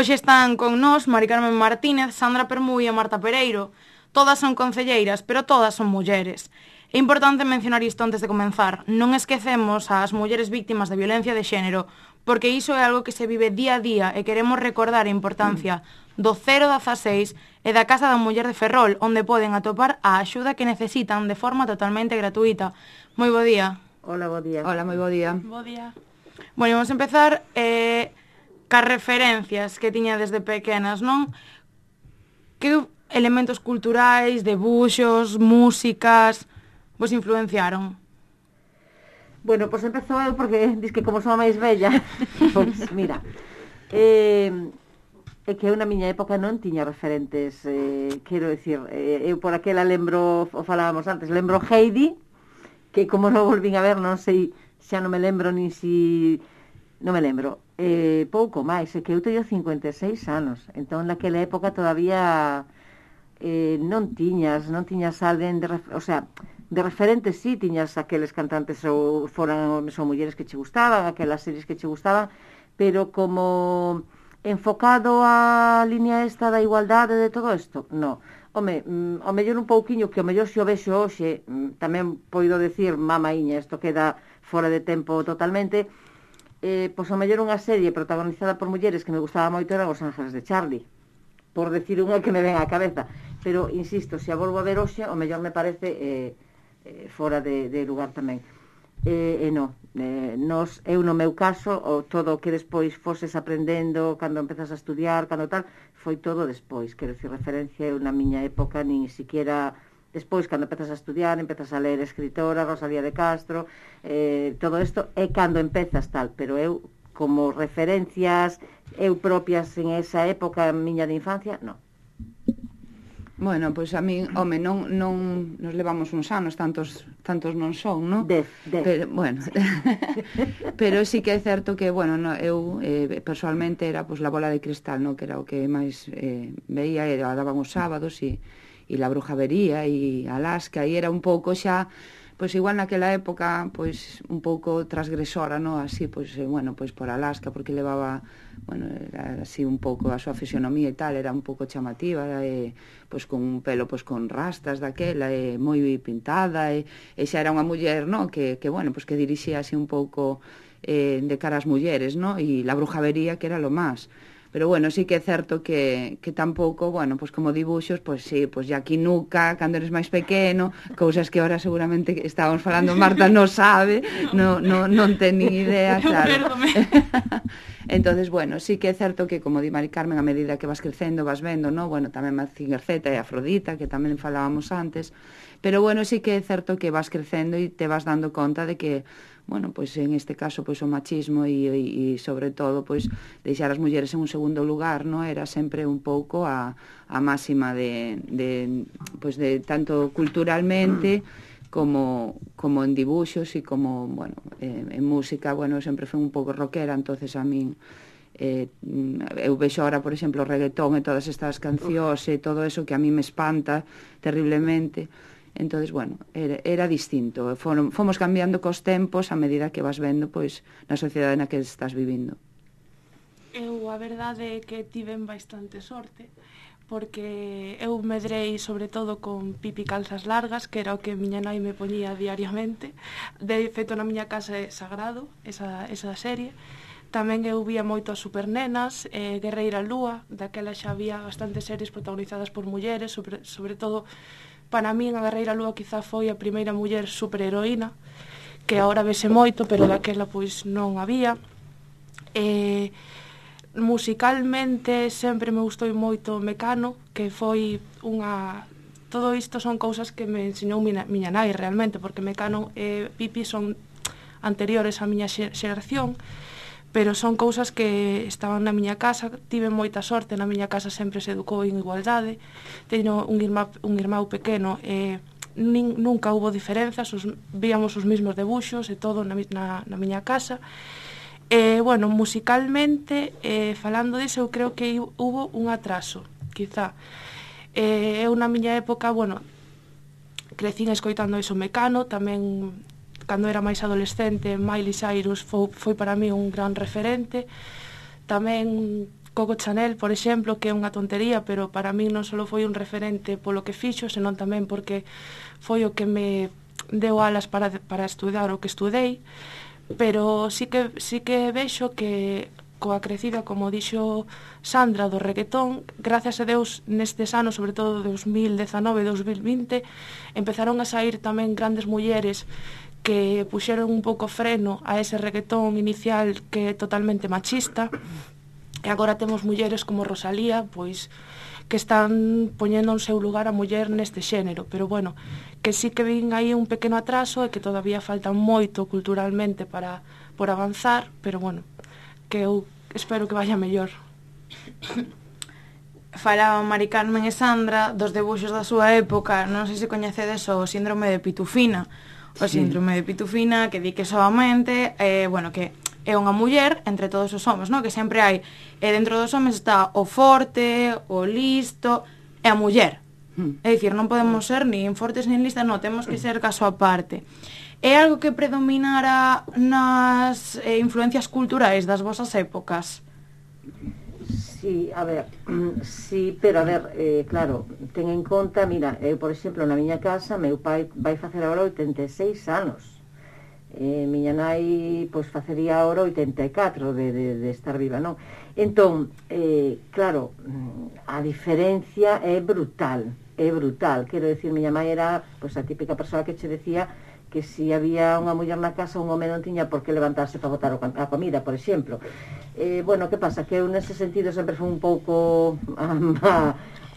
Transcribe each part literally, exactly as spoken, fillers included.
Hoxe están con nós Mari Carmen Martínez, Sandra Permui e Marta Pereiro. Todas son concelleiras, pero todas son mulleres. É importante mencionar isto antes de comenzar. Non esquecemos ás mulleres víctimas de violencia de xénero, porque iso é algo que se vive día a día e queremos recordar a importancia do cero dieciséis e da Casa da Muller de Ferrol, onde poden atopar a axuda que necesitan de forma totalmente gratuita. Moi bo día. Hola, bo día. Hola, moi bo día. Bo día. Bueno, vamos a empezar eh, cas referencias que tiña desde pequenas, non? Que elementos culturais, debuxos, músicas vos influenciaron? Bueno, pois pues empezou eu porque dis que como son a máis bella. Pois pues, mira, eh, é que eu na miña época non tiña referentes, eh, quero dicir, eh, eu por aquela lembro, o falábamos antes, lembro Heidi, que como non volvín a ver, non sei, xa non me lembro nin si... non me lembro. Eh, pouco máis, é que eu teño cincuenta e seis anos, entón naquela época todavía eh, non tiñas, non tiñas alguén de, o sea, de referentes sí, tiñas aqueles cantantes ou foran son mulleres que che gustaban, aquelas series que che gustaban, pero como enfocado a línea esta da igualdade de todo isto, no. Home, mm, ao mellor un pouquiño, que ao mellor se o vexo hoxe, mm, tamén poido decir, mamaíña, isto queda fora de tempo totalmente, eh, pois ao mellor unha serie protagonizada por mulleres que me gustaba moito eran Os Ángeles de Charlie, por decir unha que me ven á cabeza, pero, insisto, se a volvo a ver hoxe, ao mellor me parece eh, eh, fora de, de lugar tamén. E, e non, eh, nos, eu no meu caso, o todo o que despois foses aprendendo, cando empezas a estudiar, cando tal, foi todo despois, quero dicir, referencia eu na miña época, nin siquiera despois, cando empezas a estudiar, empezas a ler escritora, Rosalía de Castro, eh, todo isto é cando empezas tal, pero eu, como referencias eu propias en esa época miña de infancia, non. Bueno, pois a min, home, non, non nos levamos uns anos, tantos tantos non son, non? Dez, dez. Pero, bueno, pero sí que é certo que, bueno, no, eu eh, personalmente era pois, La Bola de Cristal, non? Que era o que máis eh, veía, e a daban os sábados, e, e La Brujavería, e Alaska, e era un pouco xa, pois igual naquela época, pois un pouco transgresora, non? Así, pois, eh, bueno, pois por Alaska, porque levaba... bueno, era así un pouco a súa fisionomía e tal, era un pouco chamativa, e, pois con un pelo pois con rastas daquela, e moi pintada, e, e xa era unha muller, no, que, que bueno, pois que dirixía así un pouco eh, de cara ás mulleres, no, e La Brujavería, que era lo máis. Pero bueno, sí que é certo que, que tampouco, bueno, pois como dibuxos, pois sí, pois Jackie Nuka, cando eres máis pequeno, cousas que ahora seguramente estábamos falando, Marta non sabe, non, non, non ten ni idea, claro. Entonces, bueno, sí que é certo que, como di Mari Carmen, a medida que vas crecendo, vas vendo, no? Bueno, tamén Mazinger Z e Afrodita, que tamén falábamos antes, pero bueno, sí que é certo que vas crecendo e te vas dando conta de que, bueno, pois en este caso, pois o machismo e, e, e sobre todo, pois deixar as mulleres en un segundo lugar, no? Era sempre un pouco a, a máxima de, de, pois de tanto culturalmente como, como en dibuxos e como, bueno, eh, en música, bueno, eu sempre fui un pouco rockera, entonces a min eh, eu vexo ahora, por exemplo, o reggaetón e todas estas cancións e todo eso que a mí me espanta terriblemente. Entonces, bueno, era, era distinto. Foron, fomos cambiando cos tempos a medida que vas vendo, pois, na sociedade na que estás vivindo. Eu, a verdade é que tiven bastante sorte, porque eu medrei sobre todo con Pipi Calzas Largas, que era o que miña nai me poñía diariamente. De feito, na miña casa é sagrado esa, esa serie. Tamén eu vía moito as Supernenas, eh, Guerreira Lúa, daquela xa había bastantes series protagonizadas por mulleres, sobre, sobre todo, para min a Guerreira Lúa quizá foi a primeira muller superheroína, que agora vese moito, pero daquela pois non había. Eh, musicalmente sempre me gustou moito Mecano, que foi unha... Todo isto son cousas que me ensinou miña, miña nai realmente, porque Mecano e Pipi son anteriores á miña xeración, pero son cousas que estaban na miña casa. Tive moita sorte, na miña casa sempre se educou en igualdade. Teño un irmán, un irmán pequeno e nin, nunca hubo diferenzas, os, víamos os mesmos debuxos e todo na, na, na miña casa. E, bueno, musicalmente, eh, falando disso, eu creo que hubo un atraso, quizá. Eh, eu na miña época, bueno, crecín escoitando iso Mecano, tamén cando era máis adolescente, Miley Cyrus foi, foi para mí un gran referente. Tamén Coco Chanel, por exemplo, que é unha tontería, pero para min non só foi un referente polo que fixo, senón tamén porque foi o que me deu alas para, para estudar o que estudei, pero sí que, sí que vexo que coa crecida, como dixo Sandra, do reggaetón, gracias a Deus nestes anos, sobre todo dos mil dezanove e dos mil vinte, empezaron a sair tamén grandes mulleres que puxeron un pouco freno a ese reggaetón inicial que é totalmente machista, e agora temos mulleres como Rosalía, pois que están poñendo en seu lugar a muller neste xénero, pero bueno, que sí que vin aí un pequeno atraso e que todavía falta moito culturalmente para por avanzar, pero bueno, que eu espero que vaya mellor. Falaban Mari Carmen e Sandra dos debuxos da súa época, non sei se coñecedes o síndrome de Pitufina. O síndrome de Pitufina, que di que soamente, eh, bueno, que é unha muller entre todos os homes, no? Que sempre hai, e dentro dos homes está o forte, o listo, e a muller. Mm. É dicir, non podemos ser nin fortes nin listas, non, temos que ser caso aparte. É algo que predominara nas eh, influencias culturais das vosas épocas? Sí, a ver, sí, pero a ver, eh, claro, ten en conta, mira, eu, por exemplo, na miña casa, meu pai vai facer agora oitenta e seis anos. Eh, miña nai, pois, facería agora oitenta e catro de, de, de estar viva, non? Entón, eh, claro, a diferencia é brutal, é brutal. Quero decir, miña mãe era, pois, a típica persoa que che decía que se había unha muller na casa, un home non tiña por que levantarse para botar a comida, por exemplo. Eh, bueno, que pasa? Que eu nese sentido sempre fui un pouco, a, a,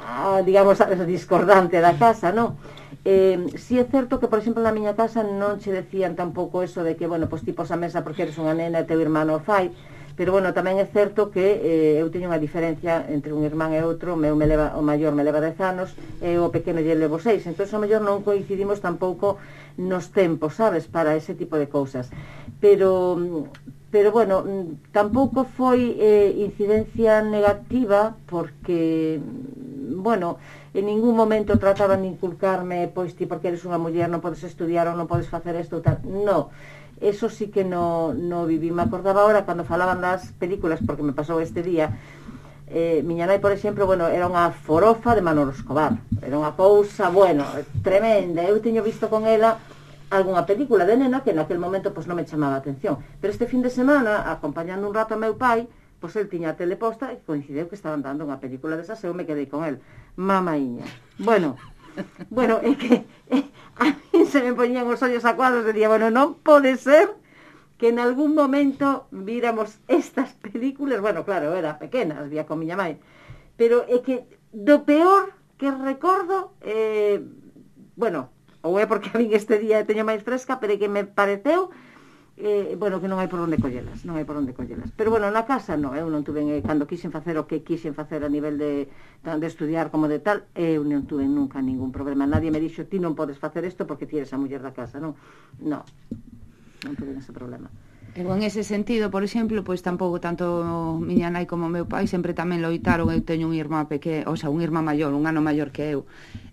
a, digamos, a discordante da casa, non? Eh, si é certo que, por exemplo, na miña casa non che decían tampouco eso de que, bueno, pois tipos a mesa porque eres unha nena e teu irmán o fai, pero, bueno, tamén é certo que eh, eu teño unha diferencia entre un irmán e outro, o meu me leva, o maior me leva dez anos e o pequeno lle levo seis, entón, o mellor non coincidimos tampouco nos tempos, sabes, para ese tipo de cousas. Pero, pero bueno, tampouco foi eh, incidencia negativa porque, bueno, en ningún momento trataban de inculcarme, pois ti porque eres unha muller non podes estudiar ou non podes facer isto ou tal. No, eso sí que no, no viví. Me acordaba ahora cando falaban das películas, porque me pasou este día, eh, miña nai, por exemplo, bueno, era unha forofa de Manolo Escobar, era unha cousa, bueno, tremenda. Eu teño visto con ela algunha película de nena que naquel momento pois non me chamaba a atención, pero este fin de semana, acompañando un rato a meu pai, pois el tiña a tele posta e coincideu que estaban dando unha película desas e eu me quedei con el, mamaíña. Bueno, bueno, é que é, a mí se me poñían os ollos acuados e día, bueno, non pode ser que en algún momento víramos estas películas. Bueno, claro, era pequena, as vía con miña mãe, pero é que do peor que recordo, eh, bueno, ou é porque a min este día teño máis fresca, pero é que me pareceu eh, bueno, que non hai por onde collelas, non hai por onde collelas. Pero bueno, na casa non, eu non tuve, eh, cando quixen facer o que quixen facer a nivel de, de estudiar como de tal, eu non tuve nunca ningún problema. Nadie me dixo, ti non podes facer isto porque ti eres a muller da casa, non? Non, non tuve ese problema. Eu en ese sentido, por exemplo, pois tampouco tanto miña nai como meu pai sempre tamén loitaron. Eu teño un irmán pequeno, o sea, un irmán maior, un ano maior que eu.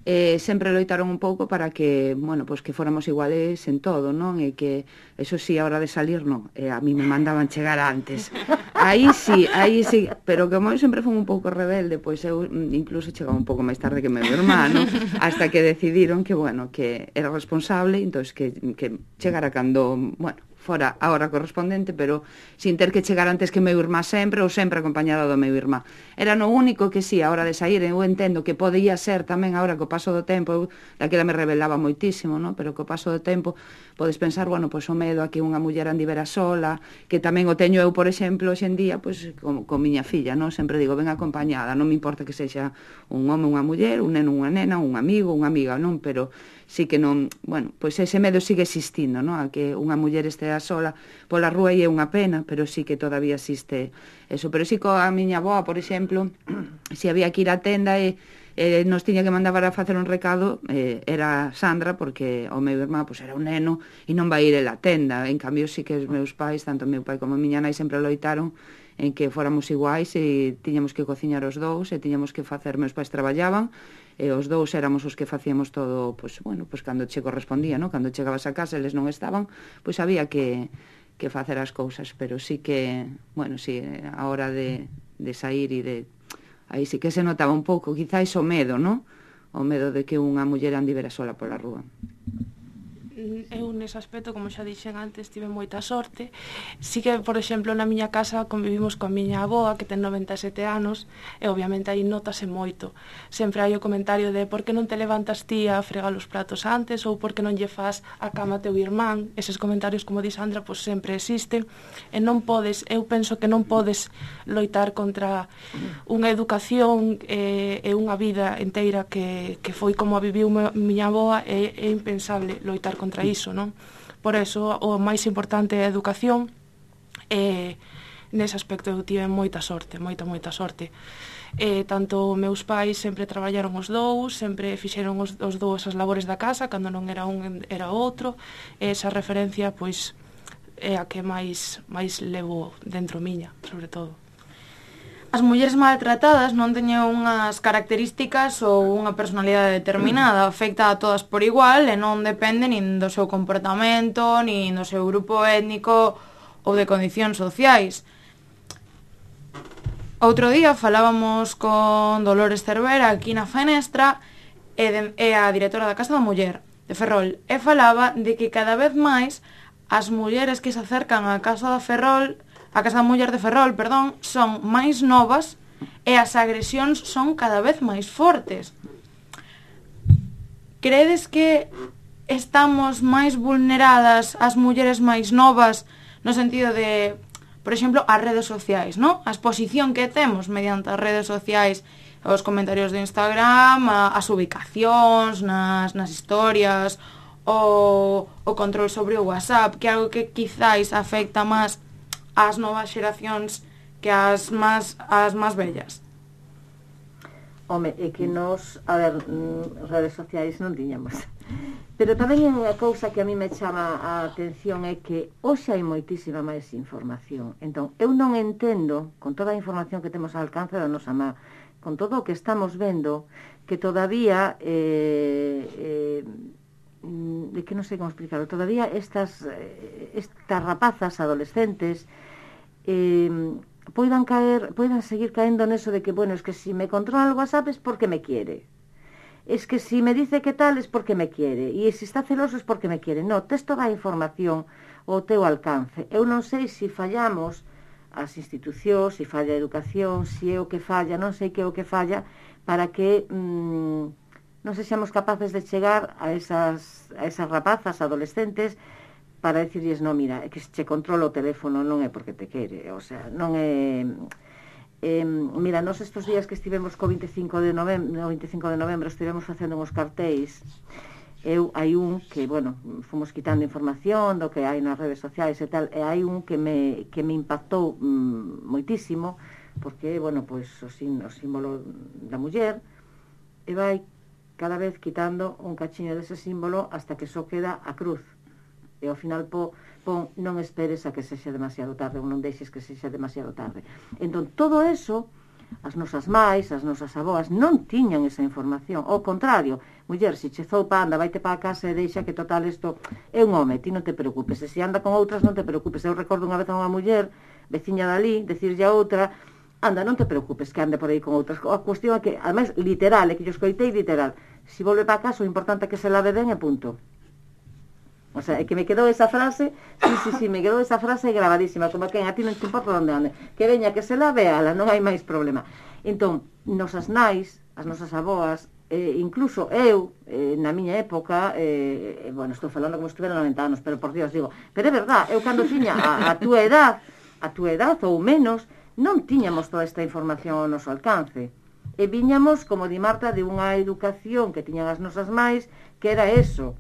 Eh, sempre loitaron un pouco para que, bueno, pois que fóramos iguales en todo, non? E que, eso sí, a hora de salir, non. Eh, a mí me mandaban chegar antes. Aí sí, aí sí, pero como eu sempre fui un pouco rebelde, pois eu incluso chegaba un pouco máis tarde que meu irmán, hasta que decidiron que, bueno, que era responsable, entón que, que chegara cando, bueno, fora a hora correspondente, pero sin ter que chegar antes que meu irmá sempre, ou sempre acompañada do meu irmá. Era no único que sí, a hora de sair, eu entendo que podía ser tamén agora co paso do tempo, eu daquela me rebelaba moitísimo, no? Pero co paso do tempo podes pensar, bueno, pois o medo a que unha muller andivera sola, que tamén o teño eu, por exemplo, hoxe en día, pois con, con miña filla, no? Sempre digo, ven acompañada, non me importa que sexa un home, unha muller, un neno, unha nena, un amigo, unha amiga, non? Pero sí que non, bueno, pois ese medo sigue existindo, no? A que unha muller estea sola pola rúa e é unha pena, pero sí que todavía existe eso. Pero sí que a miña avoa, por exemplo, se había que ir á tenda e eh, nos tiña que mandar a facer un recado, eh, era Sandra, porque o meu irmán pois, era un neno e non vai ir a tenda. En cambio, sí que os meus pais, tanto meu pai como a miña nai, sempre loitaron en que fóramos iguais e tiñamos que cociñar os dous e tiñamos que facer, meus pais traballaban e os dous éramos os que facíamos todo, pois, bueno, pois cando che correspondía, no? Cando chegabas a casa eles non estaban, pois había que, que facer as cousas, pero sí que, bueno, sí, a hora de, de sair e de... Aí sí que se notaba un pouco, quizáis o medo, non? O medo de que unha muller andivera sola pola rúa. Eu nese aspecto, como xa dixen antes, tive moita sorte. Si que, por exemplo, na miña casa convivimos coa miña avoa, que ten noventa e sete anos, e obviamente aí notase moito. Sempre hai o comentario de por que non te levantas ti a fregar os platos antes, ou por que non lle fas a cama a teu irmán. Eses comentarios, como di Sandra, pois sempre existen, e non podes, eu penso que non podes loitar contra unha educación e, e unha vida inteira que, que foi como a viviu miña avoa, e é impensable loitar contra contra iso, non? Por eso, o máis importante é a educación, e nese aspecto eu tive moita sorte, moita, moita sorte. E tanto meus pais sempre traballaron os dous, sempre fixeron os, os dous as labores da casa, cando non era un era outro, e esa referencia, pois, é a que máis, máis levo dentro miña, sobre todo. As mulleres maltratadas non teñen unhas características ou unha personalidade determinada, afecta a todas por igual e non depende nin do seu comportamento, nin do seu grupo étnico ou de condicións sociais. Outro día falábamos con Dolores Cervera aquí na Fenestra, e, de, e a directora da Casa da Muller de Ferrol, e falaba de que cada vez máis as mulleres que se acercan á Casa da Ferrol a Casa da Muller de Ferrol, perdón, son máis novas e as agresións son cada vez máis fortes. Credes que estamos máis vulneradas as mulleres máis novas no sentido de, por exemplo, as redes sociais, non? A exposición que temos mediante as redes sociais, os comentarios de Instagram, as ubicacións nas, nas historias, o, o control sobre o WhatsApp, que é algo que quizáis afecta máis as novas xeracións que as máis as máis vellas. Home, é que nos, a ver, redes sociais non tiñamos. Pero tamén unha cousa que a mí me chama a atención é que hoxe hai moitísima máis información. Entón, eu non entendo, con toda a información que temos ao alcance da nosa má, con todo o que estamos vendo, que todavía eh, eh, de que non sei como explicarlo, todavía estas, estas rapazas adolescentes eh, poidan caer, poidan seguir caendo neso de que, bueno, es que si me controla el WhatsApp es porque me quiere, es que si me dice que tal es porque me quiere, e se está celoso es porque me quiere. No, tes toda a información ao teu alcance. Eu non sei se fallamos as institucións, se falla a educación, se é o que falla, non sei que é o que falla, para que mmm, non sexamos capaces de chegar a esas, a esas rapazas adolescentes para decirles, no, mira, é que se che controla o teléfono non é porque te quere, o sea, non é... Eh, mira, nos estes días que estivemos co vinte e cinco de novembro, vinte e cinco de novembro estivemos facendo uns cartéis, eu hai un que, bueno, fomos quitando información do que hai nas redes sociais e tal, e hai un que me, que me impactou mm, moitísimo, porque, bueno, pois o, sin, o símbolo da muller, e vai cada vez quitando un cachiño dese símbolo hasta que só queda a cruz. E ao final po, pon, non esperes a que sexa demasiado tarde, ou non deixes que sexa demasiado tarde. Entón, todo eso, as nosas máis, as nosas aboas, non tiñan esa información. Ao contrario, muller, se che zoupa, anda, vaite para a casa e deixa que total isto é un home, ti non te preocupes. E se anda con outras, non te preocupes. Eu recordo unha vez a unha muller, veciña dali, decirlle a outra, anda, non te preocupes que ande por aí con outras. A cuestión é que, ademais, literal, é que yo escoitei literal. Se volve para casa, o importante é que se lave ben e punto. O sea, é que me quedou esa frase, sí, sí, sí, me quedou esa frase grabadísima, como que a ti non te importa onde ande, que veña, que se lave ala, non hai máis problema. Entón, nosas nais, as nosas aboas, eh, incluso eu, eh, na miña época, eh, bueno, estou falando como se estuvera noventa anos, pero por Dios, digo, pero é verdad, eu cando tiña a, a túa edad, a túa edad ou menos, non tiñamos toda esta información ao noso alcance. E viñamos, como di Marta, de unha educación que tiñan as nosas máis, que era eso.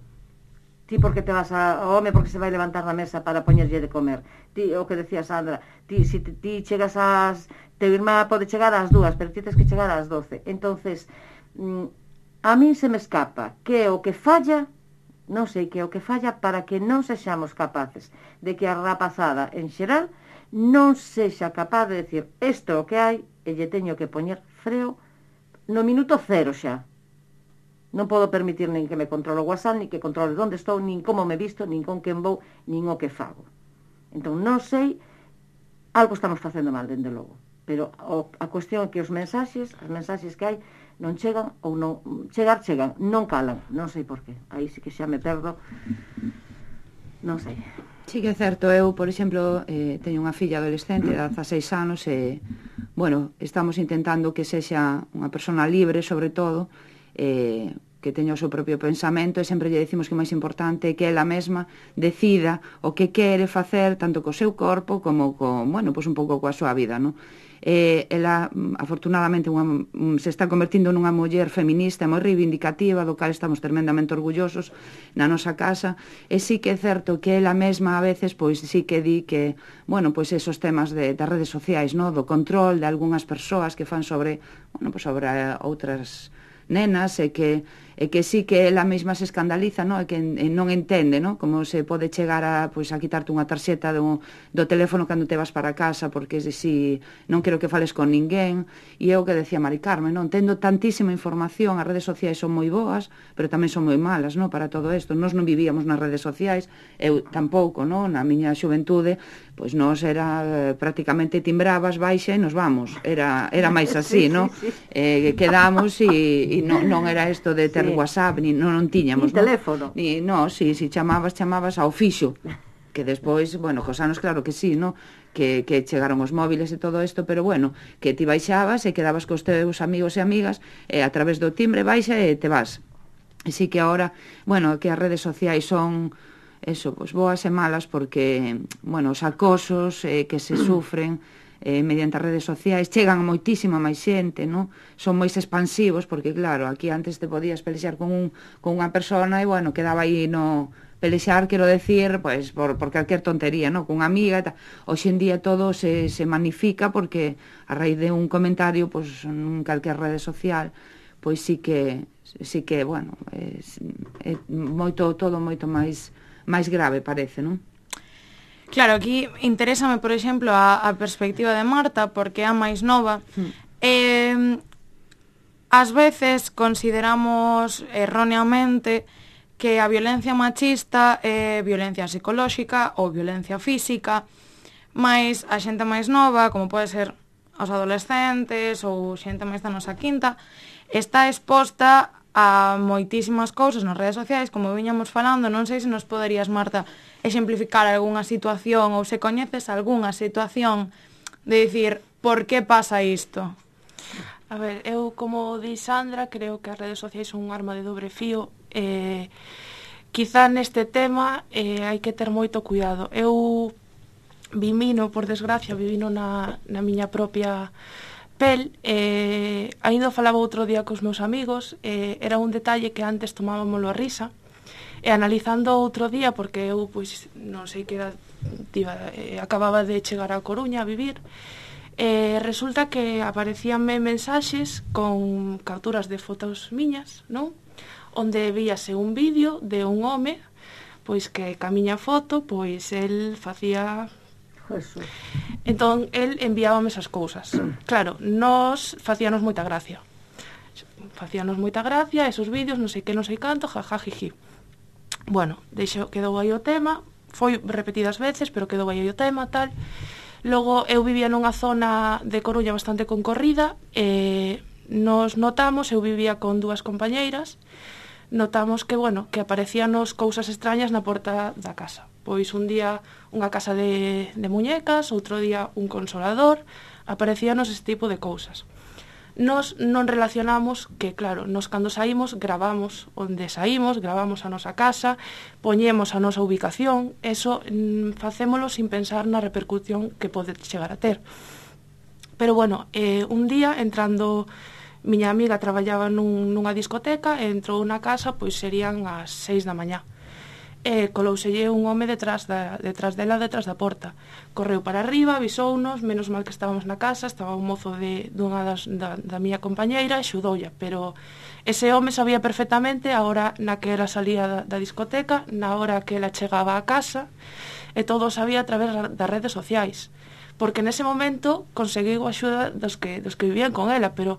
Ti porque te vas a, ao home porque se vai levantar na mesa para poñerlle de comer. Ti, o que decía Sandra, ti, si ti, ti chegas ás... Teu irmá pode chegar ás dúas, pero ti tens que chegar ás doce. Entonces, a min se me escapa que o que falla, non sei que o que falla para que non sexamos capaces de que a rapazada en xeral non sexa capaz de decir isto é o que hai e lle teño que poñer freo no minuto cero xa. Non podo permitir nin que me controlo o WhatsApp, nin que controle onde estou, nin como me visto, nin con quen vou, nin o que fago. Entón, non sei, algo estamos facendo mal, dende logo. pero o, a cuestión é que os mensaxes, as mensaxes que hai, non chegan ou non, chegar chegan, non calan, non sei por qué, aí sí que xa me perdo, non sei. Sí que é certo, eu, por exemplo, eh, teño unha filla adolescente de dezaseis anos e, bueno, estamos intentando que sexa unha persona libre, sobre todo, eh, que teña o seu propio pensamento e sempre lle decimos que o máis importante é que ela mesma decida o que quere facer tanto co seu corpo como co, bueno, pois un pouco coa súa vida, non? Eh, ela, afortunadamente, unha, se está convertindo nunha muller feminista moi reivindicativa, do cal estamos tremendamente orgullosos na nosa casa, e sí que é certo que ela mesma a veces, pois sí que di que, bueno, pois esos temas de, das redes sociais, no? Do control de algunhas persoas que fan sobre, bueno, pois sobre outras nenas e que e que sí que ela mesma se escandaliza, no? E que e non entende, no? Como se pode chegar a, pois, a quitarte unha tarxeta do, do teléfono cando te vas para casa porque si non quero que fales con ninguén. E eu que decía Mari Carmen, non? Tendo tantísima información, as redes sociais son moi boas, pero tamén son moi malas, no? Para todo isto. Nós non vivíamos nas redes sociais, eu tampouco, no? Na miña xuventude, pois nós era prácticamente timbrabas, baixa e nos vamos. Era, era máis así, sí, no? Sí, sí. Eh, quedamos e, e non, non era isto de ter sí. WhatsApp, ni non, non tiñamos, ni teléfono. Ni, no, si, si chamabas, chamabas ao fixo. Que despois, bueno, cos anos claro que sí, no? Que, que chegaron os móviles e todo isto, pero bueno, que ti baixabas e quedabas cos teus amigos e amigas e a través do timbre baixa e te vas. E sí que agora, bueno, que as redes sociais son eso, pues boas e malas porque, bueno, os acosos eh, que se sufren eh, mediante as redes sociais chegan a moitísima máis xente, no? Son moi expansivos porque claro, aquí antes te podías pelexar con, un, con unha persona e bueno, quedaba aí no pelexar, quero decir, pues, por, por calquer tontería, no? Con unha amiga e tal. Hoxe en día todo se, se magnifica porque a raíz de un comentario pues, en calquer rede social pois sí que, sí que bueno, é, é moito, todo moito máis máis grave parece, non? Claro, aquí interésame, por exemplo, a, a perspectiva de Marta, porque é a máis nova. Mm. Eh, ás veces consideramos erróneamente que a violencia machista é violencia psicolóxica ou violencia física, mas a xente máis nova, como pode ser os adolescentes ou xente máis da nosa quinta, está exposta a moitísimas cousas nas redes sociais, como viñamos falando. Non sei se nos poderías, Marta, exemplificar algunha situación ou se coñeces algunha situación de dicir por que pasa isto. A ver, eu como di Sandra, creo que as redes sociais son un arma de dobre fío. Eh, quizá neste tema eh, hai que ter moito cuidado. Eu vivino, por desgracia, vivino na, na miña propia pel, eh, ainda falaba outro día cos meus amigos, eh, era un detalle que antes tomábamoslo a risa, e analizando outro día, porque eu, pois, non sei que era, tiba, eh, acababa de chegar a Coruña a vivir, eh, resulta que aparecíanme mensaxes con capturas de fotos miñas, non? Onde víase un vídeo de un home, pois que ca miña foto, pois el facía... Eso. Entón, el enviábame esas cousas. Claro, nos facíanos moita gracia. Facíanos moita gracia, esos vídeos, non sei que, non sei canto, jaja, jiji. Bueno, deixo, quedou aí o tema, foi repetidas veces, pero quedou aí o tema, tal. Logo, eu vivía nunha zona de Coruña bastante concorrida, e nos notamos, eu vivía con dúas compañeiras, notamos que, bueno, que aparecíanos cousas extrañas na porta da casa. Pois un día unha casa de, de muñecas, outro día un consolador, aparecíanos este tipo de cousas. Nos non relacionamos que, claro, nos cando saímos gravamos onde saímos, gravamos a nosa casa, poñemos a nosa ubicación, eso mm, facémolo sin pensar na repercusión que pode chegar a ter. Pero bueno, eh, un día entrando... Miña amiga traballaba nun, nunha discoteca e entrou na casa, pois serían as seis da mañá. E colouselle un home detrás, da, detrás dela, detrás da porta. Correu para arriba, avisounos, menos mal que estábamos na casa, estaba un mozo de, dunha das, da, da miña compañeira e xudoulla, pero ese home sabía perfectamente a hora na que ela salía da, da discoteca, na hora que ela chegaba a casa, e todo o sabía a través das redes sociais. Porque nese momento conseguiu a axuda dos que, dos que vivían con ela, pero...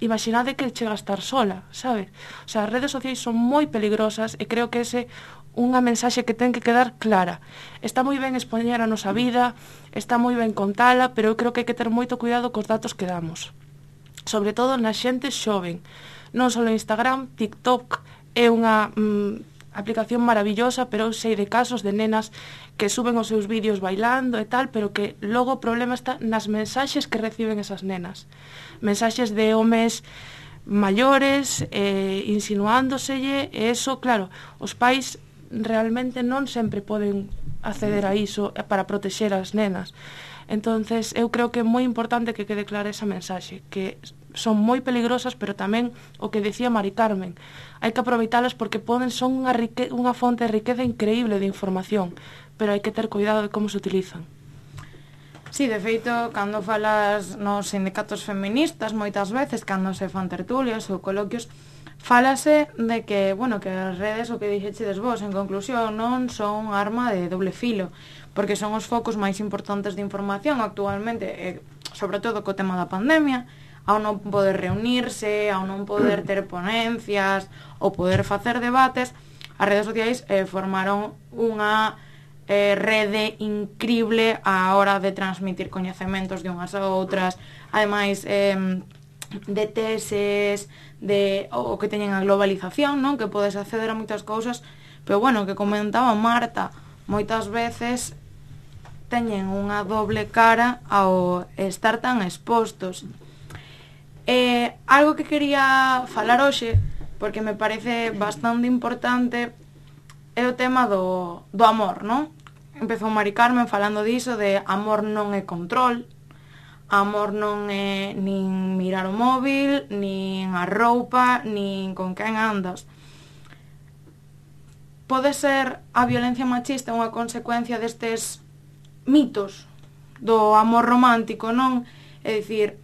imaginade que chega a estar sola, sabe? O sea, as redes sociais son moi peligrosas e creo que ese unha mensaxe que ten que quedar clara. Está moi ben expoñer a nosa vida, está moi ben contala, pero eu creo que hai que ter moito cuidado cos datos que damos. Sobre todo na xente xoven. Non só Instagram, TikTok é unha mm, aplicación maravillosa, pero eu sei de casos de nenas que suben os seus vídeos bailando e tal, pero que logo o problema está nas mensaxes que reciben esas nenas. Mensaxes de homes maiores, eh, insinuándoselle, e eso, claro, os pais realmente non sempre poden acceder a iso para protexer as nenas. Entonces, eu creo que é moi importante que quede clara esa mensaxe, que son moi peligrosas, pero tamén o que decía Mari Carmen, hai que aproveitalas porque poden son unha, rique, unha fonte de riqueza increíble de información, pero hai que ter cuidado de como se utilizan. Sí, de feito, cando falas nos sindicatos feministas, moitas veces, cando se fan tertulias ou coloquios, fálase de que, bueno, que as redes, o que dixechedes vos, en conclusión, non son arma de doble filo, porque son os focos máis importantes de información actualmente, e, sobre todo co tema da pandemia, ao non poder reunirse, ao non poder ter ponencias, ou poder facer debates, as redes sociais eh, formaron unha eh, rede incrible á hora de transmitir coñecementos de unhas a outras, ademais eh, de teses, de o que teñen a globalización, non? Que podes acceder a moitas cousas, pero bueno, que comentaba Marta, moitas veces teñen unha doble cara ao estar tan expostos. Eh, algo que quería falar hoxe, porque me parece bastante importante, é o tema do, do amor, non? Empezou Mari Carmen falando diso, de amor non é control, amor non é nin mirar o móvil, nin a roupa, nin con quen andas. Pode ser a violencia machista unha consecuencia destes mitos do amor romántico, non? É dicir,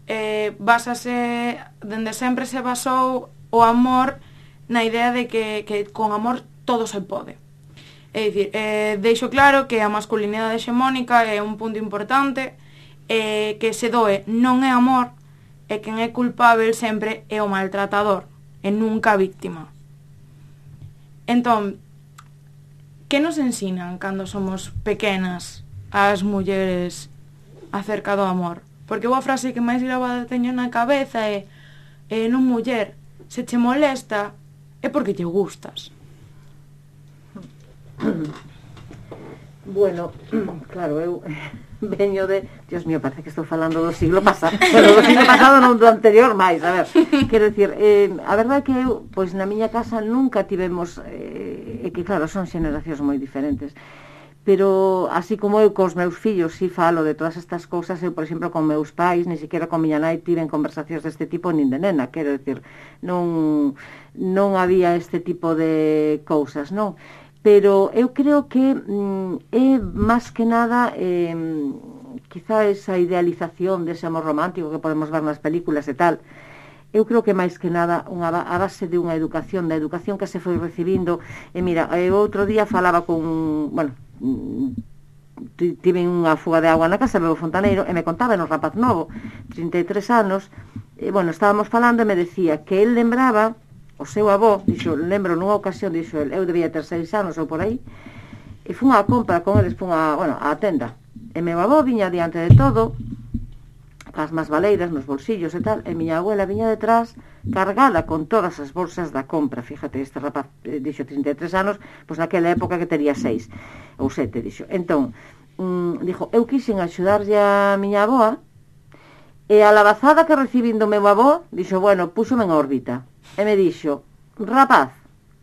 eh, basase, dende sempre se basou o amor na idea de que, que con amor todo se pode. É dicir, eh, deixo claro que a masculinidade hexemónica é un punto importante, eh, que se doe non é amor, e quen é culpável sempre é o maltratador, e nunca a víctima. Entón, que nos ensinan cando somos pequenas as mulleres acerca do amor? Porque boa frase que máis grabada teño na cabeza é eh, non muller, se che molesta é porque te gustas. Bueno, claro, eu veño de... Dios mío, parece que estou falando do siglo pasado, pero do siglo pasado non do anterior máis, a ver, quero dicir, eh, a verdade é que eu, pois na miña casa nunca tivemos, eh, e que claro, son xeneracións moi diferentes, pero así como eu cos meus fillos si falo de todas estas cousas, eu, por exemplo, con meus pais, ni siquiera con miña nai tiven conversacións deste tipo, nin de nena, quero dicir, non, non había este tipo de cousas, non? Pero eu creo que mm, é máis que nada eh, quizá esa idealización dese amor romántico que podemos ver nas películas e tal. Eu creo que máis que nada unha, a base de unha educación, da educación que se foi recibindo. E mira, eu outro día falaba con, bueno, tive unha fuga de agua na casa, meu fontaneiro, e me contaba, no rapaz novo, trinta e tres anos, e bueno, estábamos falando e me decía que el lembraba o seu avó, dixo, lembro nunha ocasión, dixo, eu debía ter seis anos ou por aí, e fun a compra con eles, fun a, bueno, a tenda, e meu avó viña diante de todo, as más valeiras nos bolsillos e tal, e miña abuela viña detrás, cargada con todas as bolsas da compra. Fíjate, este rapaz eh, dixo trinta e tres anos, pois naquela época que tería seis ou sete, dixo. Entón, mm, dixo, eu quixen axudarlle a miña avoa, e a labazada que recibín do meu avó, dixo, bueno, púxome en órbita. E me dixo, rapaz,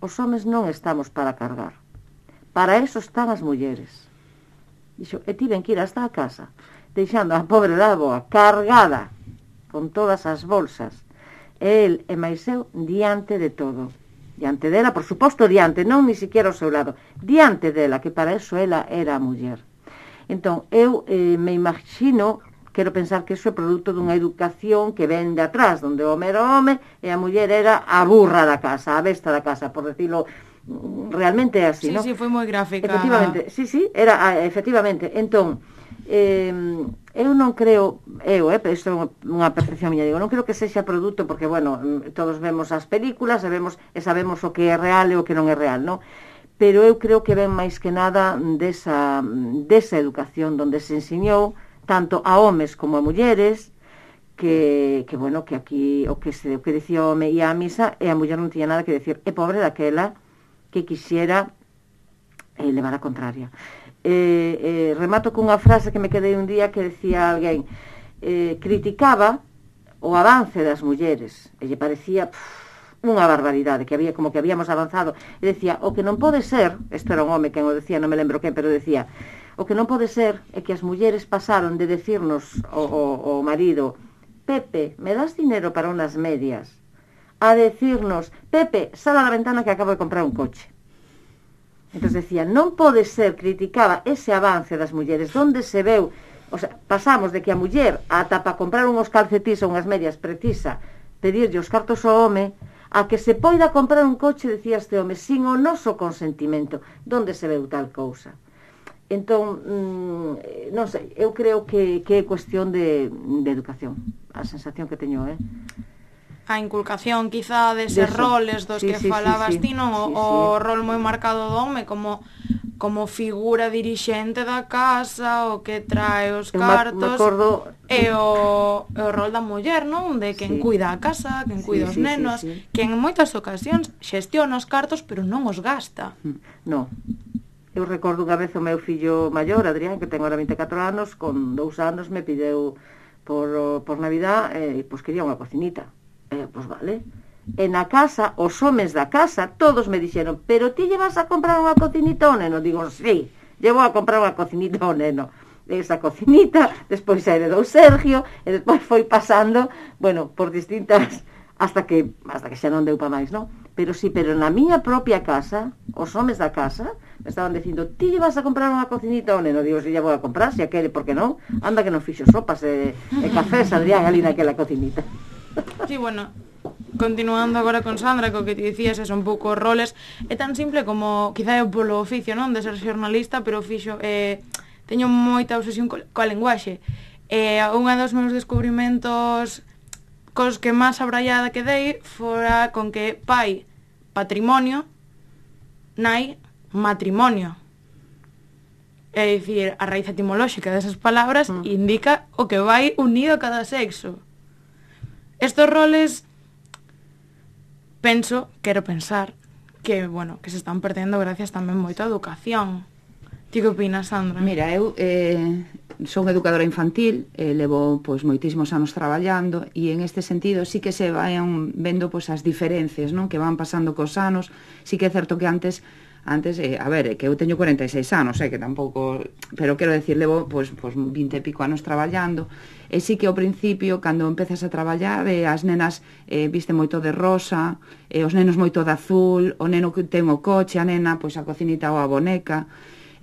os homes non estamos para cargar. Para eso están as mulleres. Dixo, e tiven que ir hasta a casa, deixando a pobre da avoa cargada con todas as bolsas, e el e máis eu diante de todo. Diante dela, por suposto diante, non ni siquiera ao seu lado, diante dela, que para eso ela era a muller. Entón, eu eh, me imagino... Quero pensar que iso é produto dunha educación que ven de atrás, donde o home era o home e a muller era a burra da casa, a besta da casa, por decirlo, realmente é así, sí, non? Sí, sí, foi moi gráfica. Efectivamente, sí, sí, era, efectivamente. Entón, eh, eu non creo, eu, eh, isto é unha percepción miña, digo, non creo que sexa produto, porque, bueno, todos vemos as películas e, vemos, e sabemos o que é real e o que non é real, non? pero eu creo que ven máis que nada desa, desa educación onde se ensiñou tanto a homes como a mulleres que, que bueno, que aquí o que se o que dicía o home ia a misa e a muller non tiña nada que decir, é pobre daquela que quixera eh, levar a contraria. Eh, eh, remato cunha frase que me quedei un día que decía alguén, eh, criticaba o avance das mulleres e lle parecía pff, unha barbaridade, que había como que habíamos avanzado, e decía, o que non pode ser, isto era un home quen o decía, non me lembro quen, pero decía, o que non pode ser é que as mulleres pasaron de decirnos o, o, o marido, Pepe, me das dinero para unas medias, a decirnos, Pepe, sal a la ventana que acabo de comprar un coche. Entón decía, non pode ser, criticaba ese avance das mulleres, donde se veu, o sea, pasamos de que a muller ata para comprar unhos calcetís ou unhas medias precisa pedirlle os cartos ao home, a que se poida comprar un coche, decía este home, sin o noso consentimento. Donde se veu tal cousa? Entón, mmm, non sei, eu creo que, que é cuestión de, de educación, a sensación que teño, eh? A inculcación, quizá, deses de roles dos sí, que sí, falabas sí, sí. ti, non? O, sí, sí. o rol moi marcado do home como, como figura dirixente da casa, o que trae os cartos, me acordo... e o, o rol da muller, non? De quen sí. cuida a casa, quen cuida sí, os sí, nenos, sí, sí. quen en moitas ocasións xestiona os cartos, pero non os gasta. Non. Eu recordo unha vez o meu fillo maior, Adrián, que ten agora vinte e catro anos, con dous anos me pideu por, por Navidad, e eh, pois quería unha cocinita. Eh, pois vale. E na casa, os homes da casa, todos me dixeron, pero ti lle vas a comprar unha cocinita ao neno? Digo, sí, llevo a comprar unha cocinita ao neno. Esa cocinita, despois a heredou Sergio, e despois foi pasando, bueno, por distintas, hasta que, hasta que xa non deu pa máis, non? Pero sí, pero na miña propia casa, os homes da casa me estaban dicindo, ti lle vas a comprar unha cocinita ao neno? Digo, si lle vou a comprar, se aquele, por que non? Anda que non fixo sopas e, e cafés, Adrián, ali naquela cocinita. Sí, bueno, continuando agora con Sandra, co que te dicías, es un pouco roles, é tan simple como, quizá é polo oficio, non, de ser xornalista, pero fixo, eh, teño moita obsesión co, coa lenguaxe. Eh, unha dos meus descubrimentos cos que máis abraiada quedei fora con que pai, patrimonio, nai, matrimonio. É dicir, a raíz etimolóxica desas palabras mm. indica o que vai unido a cada sexo. Estos roles, penso, quero pensar, que, bueno, que se están perdendo gracias tamén moito a educación. Ti que opinas, Sandra? Mira, eu eh, son educadora infantil, eh, levo pois moitísimos anos traballando e en este sentido sí que se vayan vendo pois as diferencias, non, que van pasando cos anos. Sí que é certo que antes antes, eh, a ver, que eu teño cuarenta e seis anos, eh, que tampouco, pero quero decir, levo pois, pois vinte e pico anos traballando, e sí que ao principio, cando empezas a traballar, eh, as nenas eh, viste moito de rosa, eh, os nenos moito de azul, o neno que ten o coche, a nena, pois a cocinita ou a boneca,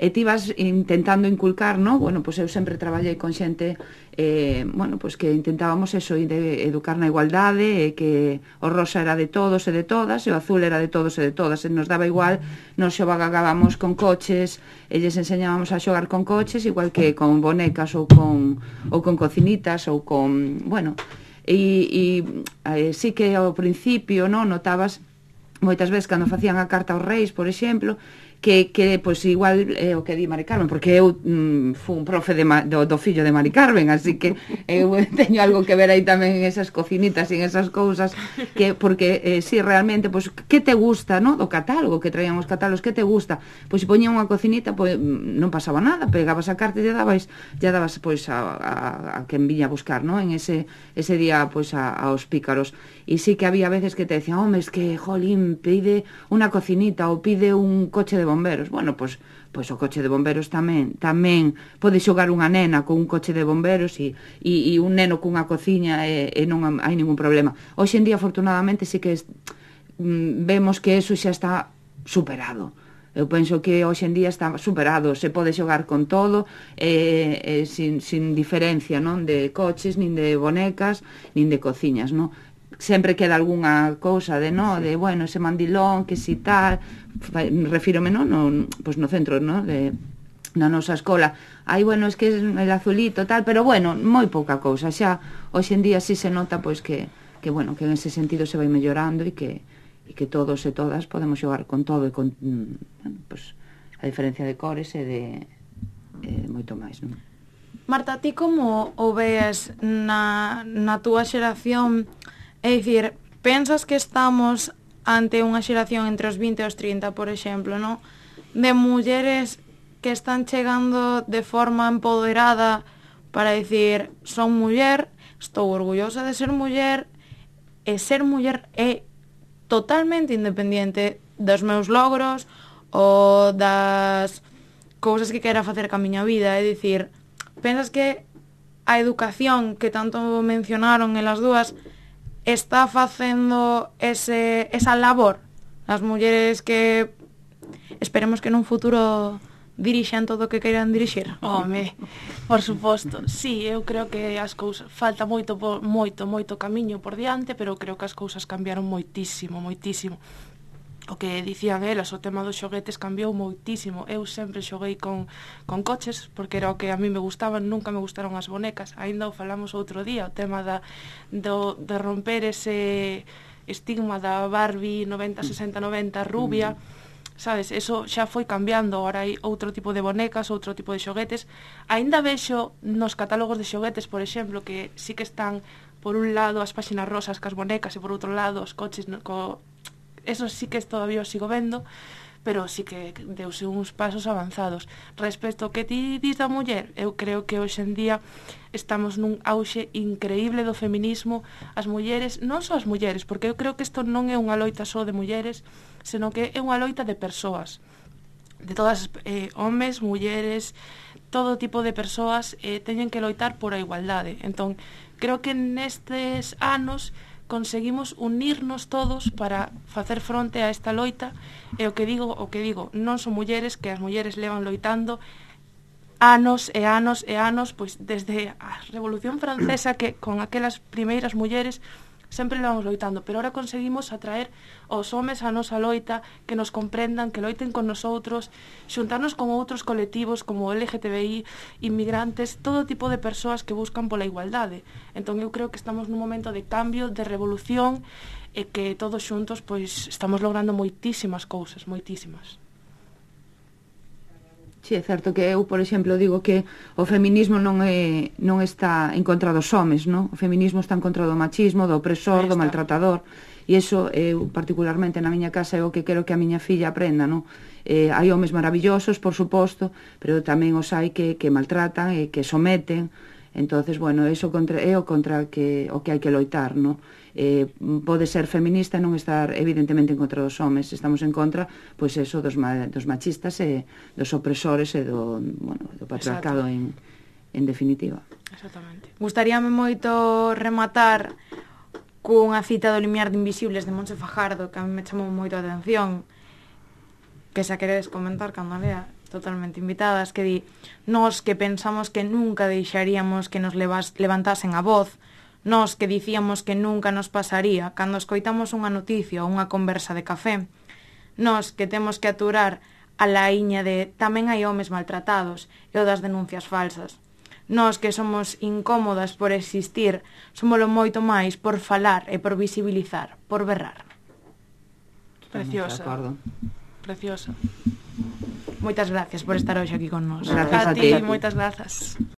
e ti vas intentando inculcar, no? Bueno, pois eu sempre traballei con xente, eh, bueno, pois que intentábamos eso, de educar na igualdade, e que o rosa era de todos e de todas, e o azul era de todos e de todas, e nos daba igual, nos xogábamos con coches, e lles enseñábamos a xogar con coches, igual que con bonecas ou con, ou con cocinitas, ou con, bueno, e, e eh, sí que ao principio, no, notabas, moitas veces cando facían a carta aos reis, por exemplo, que, que pois igual é eh, o que di Mari Carmen, porque eu mm, fui un profe de, do, do fillo de Mari Carmen, así que eu teño algo que ver aí tamén en esas cocinitas e en esas cousas, que porque eh, si sí, realmente, pois, que te gusta, no, do catálogo, que traían os catálogos, que te gusta? Pois se poñía unha cocinita, pois non pasaba nada, pegabas a carta e lle dabas, lle dabas pois a, a, a quen viña a buscar, no, en ese, ese día, pois a, aos pícaros. E sí que había veces que te decían, home, es que, jolín, pide unha cocinita ou pide un coche de bomberos. Bueno, pois, pois o coche de bomberos tamén tamén pode xogar unha nena con un coche de bomberos e, e, e un neno cunha cociña e, e non hai ningún problema. Hoxe en día, afortunadamente, sí que es, mm, vemos que eso xa está superado. Eu penso que hoxe en día está superado, se pode xogar con todo, eh, eh, sin, sin diferencia, non, de coches, nin de bonecas, nin de cociñas, non? Sempre queda algunha cousa de, no, de, bueno, ese mandilón, que si tal, refírome, no, no, pues no centro, no, de, na nosa escola, ai, bueno, es que es el azulito, tal, pero bueno, moi pouca cousa, xa, hoxe en día sí se nota, pois, que, que bueno, que en ese sentido se vai mellorando e que, e que todos e todas podemos xogar con todo e con, bueno, pues, a diferencia de cores e de e moito máis, non? Marta, ti como o veas na, na túa xeración? É dicir, pensas que estamos ante unha xeración entre os vinte e os trinta, por exemplo, non? De mulleres que están chegando de forma empoderada para dicir, son muller, estou orgullosa de ser muller, e ser muller é totalmente independiente dos meus logros ou das cousas que quera facer ca miña vida. É dicir, pensas que a educación que tanto mencionaron elas dúas está facendo ese, esa labor as mulleres que esperemos que nun futuro dirixan todo o que queiran dirixir? Home, por suposto. Sí, eu creo que as cousas falta moito moito moito camiño por diante, pero creo que as cousas cambiaron moitísimo, moitísimo. O que dicían elas, o tema dos xoguetes cambiou moitísimo. Eu sempre xoguei con, con coches, porque era o que a mí me gustaban, nunca me gustaron as bonecas. Ainda o falamos outro día, o tema da, do, de romper ese estigma da Barbie noventa, sesenta, noventa rubia, sabes, eso xa foi cambiando. Ahora hai outro tipo de bonecas, outro tipo de xoguetes. Ainda vexo nos catálogos de xoguetes, por exemplo, que sí que están por un lado as páxinas rosas cas bonecas e por outro lado os coches no, co... eso sí que todavía o sigo vendo, pero sí que deuse uns pasos avanzados. Respecto ao que ti dis da muller, eu creo que hoxe en día estamos nun auxe increíble do feminismo. As mulleres, non só as mulleres, porque eu creo que isto non é unha loita só de mulleres, senón que é unha loita de persoas, de todas, eh, homes, mulleres, todo tipo de persoas eh, teñen que loitar por a igualdade. Entón, creo que nestes anos conseguimos unirnos todos para facer fronte a esta loita. E o que digo, o que digo, non son mulleres, que as mulleres levan loitando anos e anos e anos, pois desde a Revolución Francesa, que con aquelas primeiras mulleres sempre levamos loitando, pero ahora conseguimos atraer os homes a nosa loita, que nos comprendan, que loiten con nosotros, xuntarnos con outros colectivos como L G T B I, inmigrantes, todo tipo de persoas que buscan pola igualdade. Entón eu creo que estamos nun momento de cambio, de revolución, e que todos xuntos pois estamos logrando moitísimas cousas, moitísimas. Si, é certo que eu, por exemplo, digo que o feminismo non é non está en contra dos homes, non? O feminismo está en contra do machismo, do opresor, do maltratador, e iso eu particularmente na miña casa é o que quero que a miña filla aprenda, non? Eh, hai homes maravillosos, por suposto, pero tamén os hai que, que maltratan e que someten. Entonces, bueno, eso contra, é o contra que, o que hai que loitar, non? Eh, pode ser feminista e non estar evidentemente en contra dos homes. Estamos en contra, pois eso, dos, ma, dos machistas e dos opresores e do, bueno, do patriarcado en, en definitiva. Exactamente. Gustaríame moito rematar cunha cita do Limiar de Invisibles de Montse Fajardo, que a mí me chamou moito a atención, que xa queredes comentar cando lea, totalmente invitadas, que di: nós que pensamos que nunca deixaríamos que nos levas, levantasen a voz, nós que dicíamos que nunca nos pasaría cando escoitamos unha noticia ou unha conversa de café, nós que temos que aturar a laíña de tamén hai homes maltratados e o das denuncias falsas, nós que somos incómodas por existir, somoslo moito máis por falar e por visibilizar, por berrar. Preciosa. Preciosa. Moitas gracias por estar hoxe aquí con nós. Gracias A a ti, ti. moitas grazas.